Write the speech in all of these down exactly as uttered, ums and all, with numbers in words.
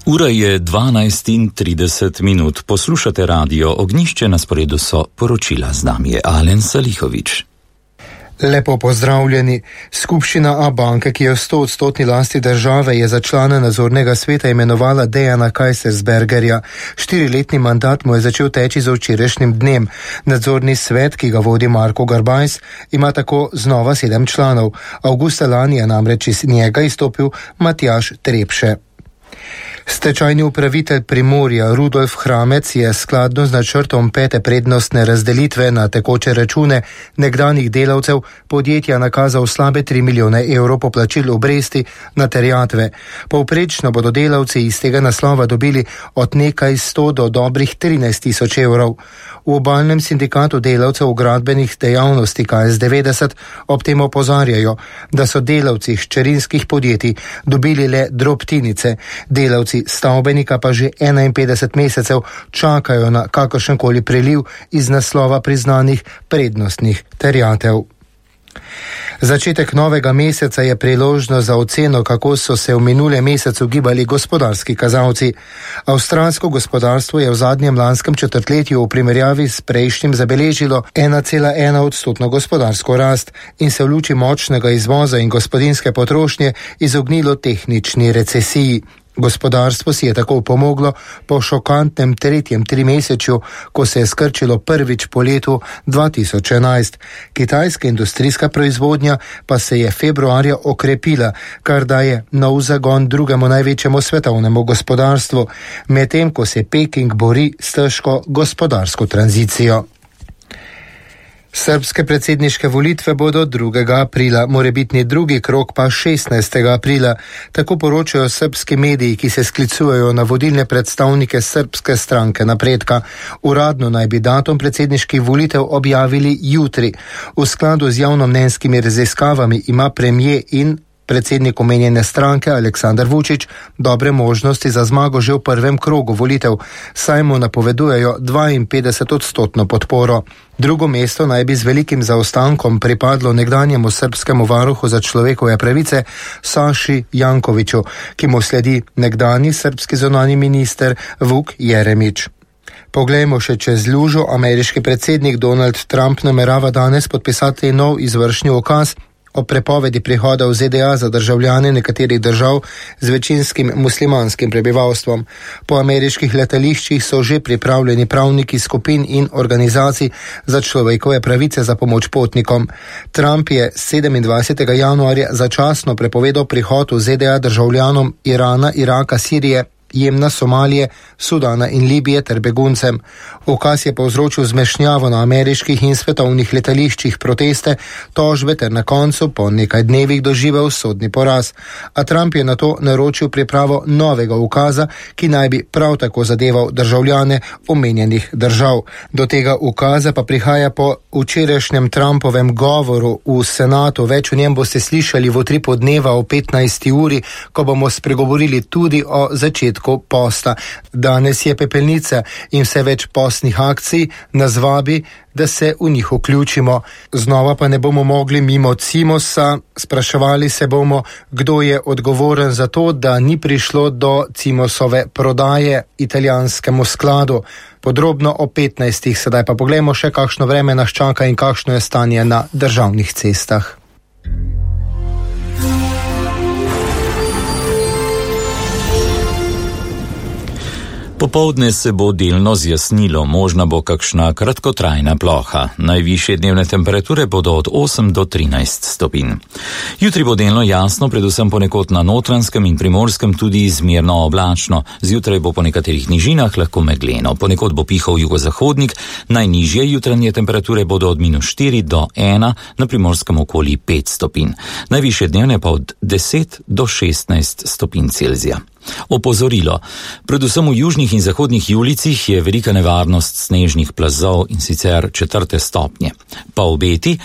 Ura je dvanajst in trideset minut. Poslušate radio Ognjišče, na sporedu so poročila, z nami je Alen Salihovič. Lepo pozdravljeni. Skupščina Abanke, ki je v sto odstotni lasti države, je za člana nadzornega sveta imenovala Dejana Kajsersbergerja. Štiriletni mandat mu je začel teči z včerajšnjim dnem. Nadzorni svet, ki ga vodi Marko Garbajs, ima tako znova sedem članov. Avgusta lani je namreč iz njega izstopil Matjaž Trepše. Stečajni upravitelj Primorja Rudolf Hramec je skladno z načrtom pete prednostne razdelitve na tekoče račune nekdanjih delavcev podjetja nakazal slabe tri milijone evrov poplačil obresti na terjatve. Povprečno bodo delavci iz tega naslova dobili od nekaj sto do dobrih trinajst tisoč evrov. V obalnem sindikatu delavcev v gradbenih dejavnosti K S devetdeset ob tem opozarjajo, da so delavci hčerinskih podjetij dobili le drobtinice, delavci stavbenika pa že enainpetdeset mesecev čakajo na kakršenkoli priliv iz naslova priznanih prednostnih terjatev. Začetek novega meseca je priložnost za oceno, kako so se v minulem mesecu gibali gospodarski kazalci. Avstralsko gospodarstvo je v zadnjem lanskem četrtletju v primerjavi s prejšnjim zabeležilo ena cela ena odstotno gospodarsko rast in se v luči močnega izvoza in gospodinjske potrošnje izognilo tehnični recesiji. Gospodarstvo si je tako pomoglo po šokantnem tretjem trimesečju, ko se je skrčilo prvič po letu dva tisoč enajst. Kitajska industrijska proizvodnja pa se je februarja okrepila, kar daje nov zagon drugemu največjemu svetovnemu gospodarstvu, medtem ko se Peking bori s težko gospodarsko tranzicijo. Srbske predsedniške volitve bodo drugega aprila, morebitni drugi krog pa šestnajstega aprila. Tako poročajo srbski mediji, ki se sklicujejo na vodilne predstavnike srbske stranke Napredka. Uradno naj bi datum predsedniških volitev objavili jutri. V skladu z javnomnenjskimi raziskavami ima premijer in predsednik omenjene stranke Aleksandar Vučić dobre možnosti za zmago že v prvem krogu volitev, saj mu napovedujejo dvainpetdeset odstotno podporo. Drugo mesto naj bi z velikim zaostankom pripadlo nekdanjemu srbskemu varuhu za človekove pravice Saši Jankoviću, ki mu sledi nekdanji srbski zunanji minister Vuk Jeremić. Poglejmo še čez lužo. Ameriški predsednik Donald Trump namerava danes podpisati nov izvršni ukaz o prepovedi prihoda v Z D A za državljane nekaterih držav z večinskim muslimanskim prebivalstvom. Po ameriških letališčih so že pripravljeni pravniki skupin in organizacij za človekove pravice za pomoč potnikom. Trump je sedemindvajsetega januarja začasno prepovedal prihod v Z D A državljanom Irana, Iraka, Sirije, Jemna, Somalije, Sudana in Libije ter beguncem. Ukaz je povzročil zmešnjavo na ameriških in svetovnih letališčih, proteste, tožbe ter na koncu po nekaj dnevih doživel sodni poraz. A Trump je nato naročil pripravo novega ukaza, ki naj bi prav tako zadeval državljane omenjenih držav. Do tega ukaza pa prihaja po včerajšnjem Trumpovem govoru v Senatu. Več o njem boste slišali v utripu dneva o petnajsti uri, ko bomo spregovorili tudi o začetku posta. Danes je pepelnica in vse več postnih akcij nas vabi, da se v njih vključimo. Znova pa ne bomo mogli mimo Cimosa. Spraševali se bomo, kdo je odgovoren za to, da ni prišlo do Cimosove prodaje italijanskemu skladu. Podrobno o petnajstih, sedaj pa poglejmo še, kakšno vreme nas čaka in kakšno je stanje na državnih cestah. Popoldne se bo delno zjasnilo, možna bo kakšna kratkotrajna ploha. Najvišje dnevne temperature bodo od osem do trinajst stopinj. Jutri bo delno jasno, predvsem ponekod na Notranjskem in Primorskem tudi izmerno oblačno. Zjutraj bo po nekaterih nižinah lahko megleno. Ponekod bo pihal jugozahodnik, najnižje jutranje temperature bodo od minus štiri do ena, na Primorskem okoli pet stopinj. Najvišje dnevne pa od deset do šestnajst stopinj Celzija. Opozorilo. Predvsem v južnih in zahodnih Julijcih je velika nevarnost snežnih plazov in sicer četrte stopnje. Pa obeti,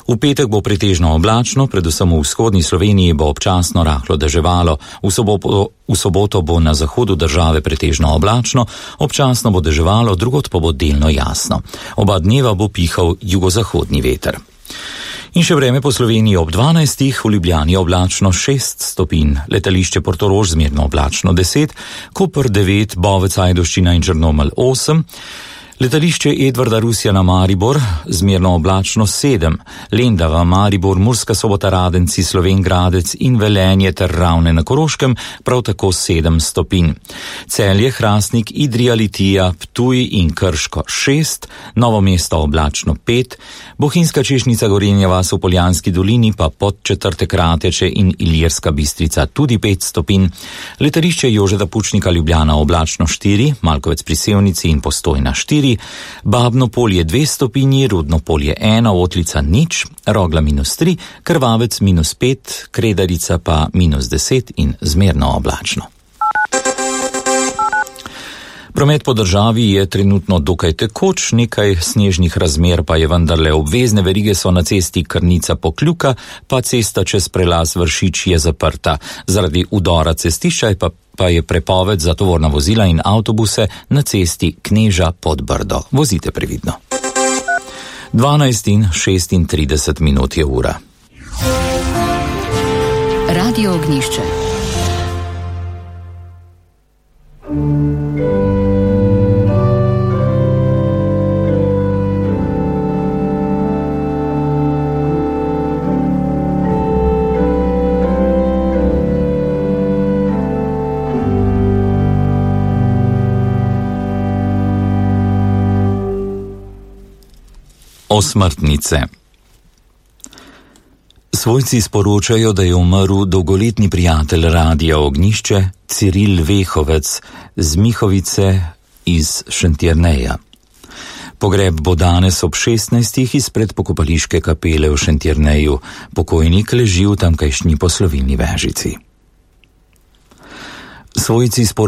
v petek bo pretežno oblačno, predvsem v vzhodni Sloveniji bo občasno rahlo deževalo, v soboto, v soboto bo na zahodu države pretežno oblačno, občasno bo deževalo, drugod pa bo delno jasno. Oba dneva bo pihal jugozahodni veter. In še vreme po Sloveniji ob dvanajstih, v Ljubljani oblačno šest stopinj, letališče Portorož zmerno oblačno deset, Koper devet, Bovec, Ajdovščina in Črnomelj osem, letališče Edvarda Rusjana Maribor zmerno oblačno sedem, Lendava, Maribor, Murska Sobota, Radenci, Slovenj Gradec in Velenje ter Ravne na Koroškem prav tako sedem stopinj. Celje, Hrastnik, Idrija, Litija, Ptuj in Krško šest, Novo mesto oblačno pet, Bohinjska Češnica, Gorenja vas v Poljanski dolini pa Podčetrtek, Rateče in Ilirska Bistrica tudi pet stopinj, letališče Jožeta Pučnika Ljubljana oblačno štiri, Malkovec pri Sevnici in Postojna štiri, Babno Polje dve stopinji, Rudno Polje ena, Otlica nič, Rogla minus tri, Krvavec minus pet, Kredarica pa minus deset in zmerno oblačno. Promet po državi je trenutno dokaj tekoč, nekaj snežnih razmer pa je vendarle. Obvezne verige so na cesti Krnica-Pokljuka, pa cesta čez prelaz Vršič je zaprta. Zaradi udora cestišča je pa, pa je prepoved za tovorna vozila in avtobuse na cesti Kneža pod Brdo. Vozite previdno. dvanajst in šestintrideset minut je ura. Radio Ognjišče. Osmrtnice. Svojci sporočajo, da je umrl dolgoletni prijatelj Radia Ognjišče Ciril Vehovec z Mihovice iz Šentjerneja. Pogreb bo danes ob šestnajstih izpred pokopališke kapele v Šentjerneju. Pokojnik leži v tamkajšnji poslovilni vežici. Svojci sporočajo